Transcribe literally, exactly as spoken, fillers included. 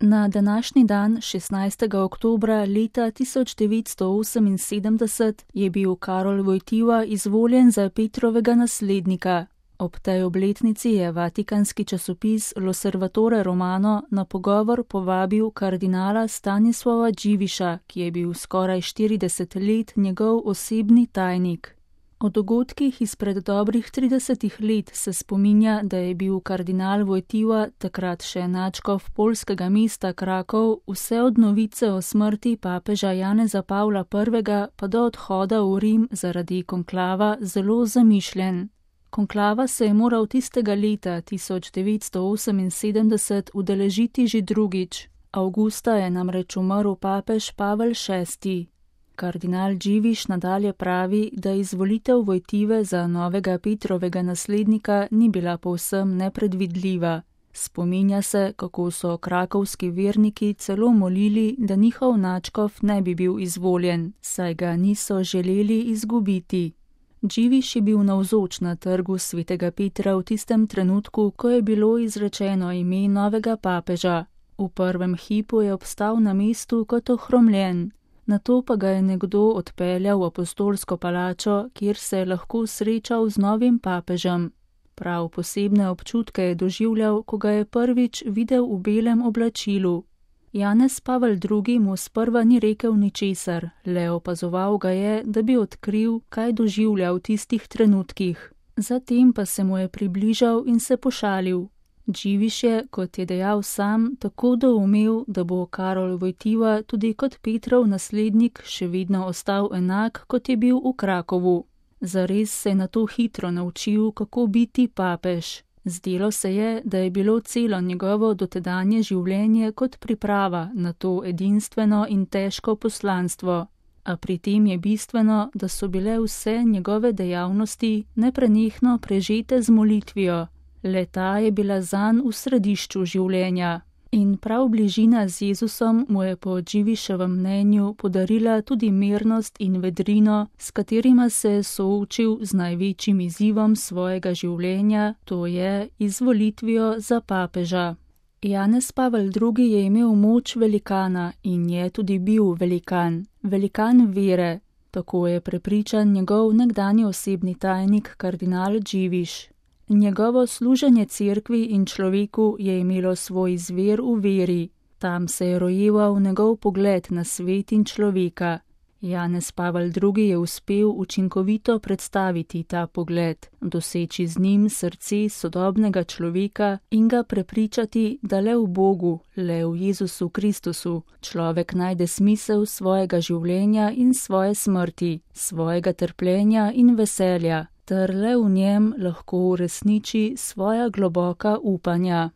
Na današnji dan, šestnajstega oktobra leta tisoč devetsto oseminsedemdeset, je bil Karol Wojtyła izvoljen za Petrovega naslednika. Ob tej obletnici je vatikanski časopis L'Osservatore Romano na pogovor povabil kardinala Stanislava Dziwisza, ki je bil skoraj štirideset let njegov osebni tajnik. O dogodkih izpred dobrih tridesetih let se spominja, da je bil kardinal Wojtyła, takrat še nadškof poljskega mesta Krakov, vse od novice o smrti papeža Janeza Pavla prvega pa do odhoda v Rim zaradi konklava zelo zamišljen. Konklava se je moral tistega leta tisoč devetsto oseminsedemdeset udeležiti že drugič. Avgusta je namreč umrl papež Pavel šesti. Kardinal Dziwisz nadalje pravi, da izvolitev Wojtyły za novega Petrovega naslednika ni bila povsem nepredvidljiva. Spominja se, kako so krakovski verniki celo molili, da njihov nadškof ne bi bil izvoljen, saj ga niso želeli izgubiti. Dziwisz je bil navzoč na trgu svetega Petra v tistem trenutku, ko je bilo izrečeno ime novega papeža. V prvem hipu je obstal na mestu kot ohromljen. Nato pa ga je nekdo odpeljal v apostolsko palačo, kjer se je lahko srečal z novim papežem. Prav posebne občutke je doživljal, ko ga je prvič videl v belem oblačilu. Janez Pavel drugi mu sprva ni rekel ničesar, le opazoval ga je, da bi odkril, kaj doživlja v tistih trenutkih. Zatem pa se mu je približal in se pošalil. Dziwisz je, kot je dejal sam, tako doumel, da bo Karol Wojtyła tudi kot Petrov naslednik še vedno ostal enak, kot je bil v Krakovu. Zares se je nato hitro naučil, kako biti papež. Zdelo se je, da je bilo celo njegovo dotedanje življenje kot priprava na to edinstveno in težko poslanstvo. A pri tem je bistveno, da so bile vse njegove dejavnosti neprenehno prežete z molitvijo. Le ta je bila zanj v središču življenja. In prav bližina z Jezusom mu je po Dziwiszovem mnenju podarila tudi mirnost in vedrino, s katerima se je soočil z največjim izzivom svojega življenja, to je izvolitvijo za papeža. Janez Pavel drugi je imel moč velikana in je tudi bil velikan, velikan vere, tako je prepričan njegov nekdanji osebni tajnik kardinal Dziwisz. Njegovo služenje cerkvi in človeku je imelo svoj izvir v veri. Tam se je rojeval njegov pogled na svet in človeka. Janez Pavel drugi je uspel učinkovito predstaviti ta pogled, doseči z njim srce sodobnega človeka in ga prepričati, da le v Bogu, le v Jezusu Kristusu, človek najde smisel svojega življenja in svoje smrti, svojega trpljenja in veselja, ter le v njem lahko uresniči svoja globoka upanja.